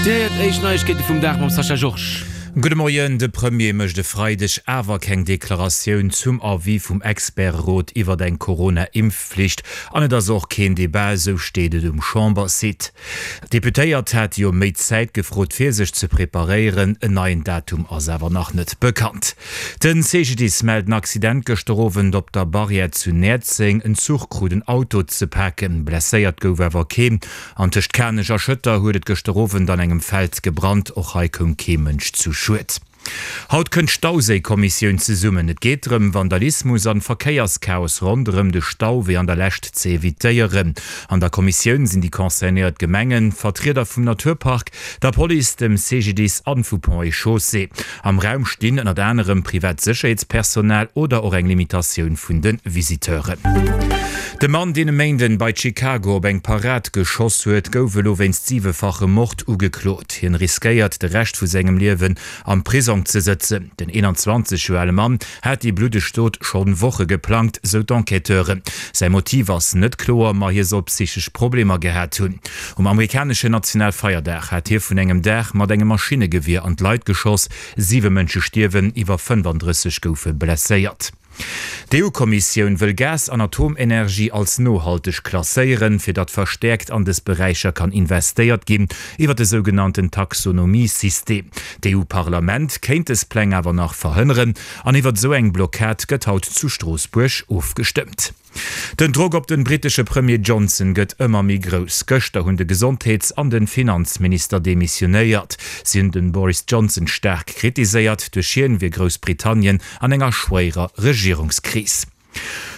Dir héiert éischt Neiegkeete vum Dag mam Sascha Georges. Gudde Moien, De Premier mécht e Freideg awer keng Deklaratioun zum Avis vum Experterot iwwert eng Corona-Impfflicht an et ass och keen Debat, esou steet et um Chambersite. D'Deputéiert hate jo méi Zäit gefrot fir sech ze preparéieren, en neien Datum ass awer nach net bekannt. Den CGDIS mellt en Accident gëschter Owend op der Barrière zu Näerzeng. En Zuch krut en Auto ze paken, blesséiert gouf awer keen. An tëscht Kanech a Schëtter huet et gëschter Owend an engem Feld gebrannt. Och hei koum kee Mënsch zu Schued. Haut kënnt d'Stauséikommissioun zesummen. Et geet drëm, Vandalismus an Verkéierschaos ronderëm de Stau wéi an der Lescht ze evitéieren. An der Kommissioun sinn déi concernéiert Gemengen, Vertrieder vum Naturpark, der Police, dem CGDIS an vu Ponts et Chaussées. Am Raum stinn ënnert anerem privat Sécherheetspersonal oder och eng Limitatioun vun de Visiteuren. De Mann, deen e Méinden bei Chicago op eng Parad geschoss huet, gouf elo wéinst siwefachem Mord ugeklot. Hien riskéiert, de Rescht vu sengem Liewen am Prisong ze sëtzen. Den 21 Joer ale Mann hat déi bluddeg Dot schonn Woche geplangt, sou d'Enquêteuren. Säi Motiv ass net kloer, ma hie soll psychesch Problemer gehat hunn. Um amerikaneschen Nationalfeierdag hat hie vun engem Daach mat engem Maschinnegewier an d'Leit geschoss. Siwe Mënsche stierwen, iwwer 35 goufe blesséiert. D'EU-Kommissioun wëll Gas an Atomenergie als nohalteg klasséieren, fir datt verstäerkt an dës Beräicher kann investéiert ginn, iwwer de sougenannten Taxonomie-System. D'EU-Parlament kéint dës Pläng awer nach verhënneren an iwwer esou eng Blockad gëtt haut zu Stroossbuerg ofgestëmmt. Den Drock op den brittesche Premier Johnson gëtt ëmmer méi grouss. Gëschter hunn de Gesondheets an den Finanzminister demissionéiert. Si hunn den Boris Johnson staark kritiséiert. Duerch hien wier Groussbritannien an enger schwéierer Regierungskris.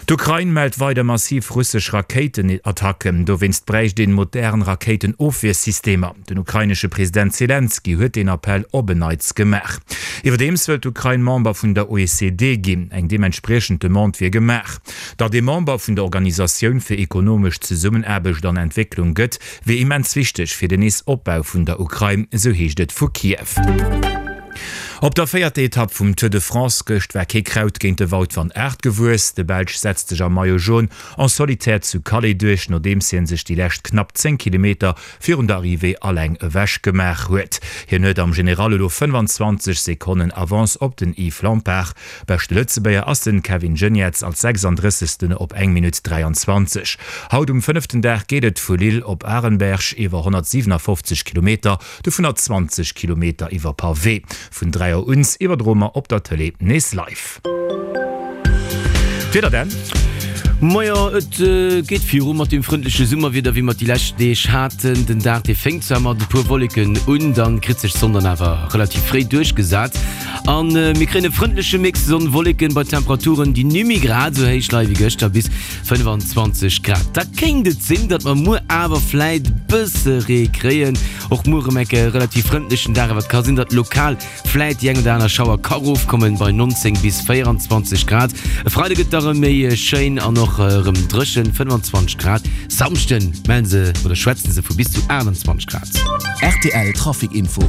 D'Ukrain mellt weider massiv russesch Rakéitenattacken. Dowéinst bräicht een modern Rakéitenofwiersystemer. Den ukrainesche President Selenskyj huet deen Appell op en Neits gemaach. Iwwerdeems wëllt d'Ukrain Member vun der OECD ginn. Eng deementspriechend Demande wier gemaach. Datt ee Member vun der Organisatioun fir ekonomesch Zesummenaarbecht an Entwécklung gëtt, wier immens wichteg fir den Nees-Opbau vun der Ukrain, esou heescht et vu Kiew. Op der véierter Etapp vum Tour de France gëscht war kee Kraut géint de Wout van Aert gewuess. De Belsch setzt sech am Maillot Jaune en solitaire zu Calais duerch, nodeems hien sech déi lescht knapp 10 Kilometer virun der Arrivée alleng ewech gemaach huet. Hien huet am General elo 25 Sekonnen Avance op den Yves Lampaert. Beschte Lëtzebuerger ass den Kevin Geniets als 36. op eng Minutt 23. Haut um fënneften Dag geet et vu Lille op Arenberg iwwer 157 Kilometer, dovunner 20 Kilometer iwwer Pavé. Vun 3 Auer un iwwerdroe mer op der Tëlee nees live. D'Wieder dann. Majo, et geet viru mat deem frëndleche Summerwieder, wéi mer et déi lescht Deeg haten. Den Dag, dee fénkt zwar mat e puer Wolleken un, dann kritt sech d'Sonn dann awer relativ fréi duerchgesat an mir kréien e frëndleche Mix Sonn-Wolleken bei Temperaturen, déi nimmi grad esou héich leie wéi gëschter, bis 25 Grad. Da kéint et sinn, datt mer muer awer vläit e bësse Ree kréien. Och muer erëm enke relativ frëndlechen Dag, awer et ka sinn, datt lokal Vläit déi eng oder aner Schauer ka rofkommen bei 19 bis 24 Grad. E Freide gëtt da rëm méi schéin an och rëm dréchen, 25 Grad. Samschden mellen se oder schwätzen se vu bis zu 28 Grad. Rtl Trafic Info.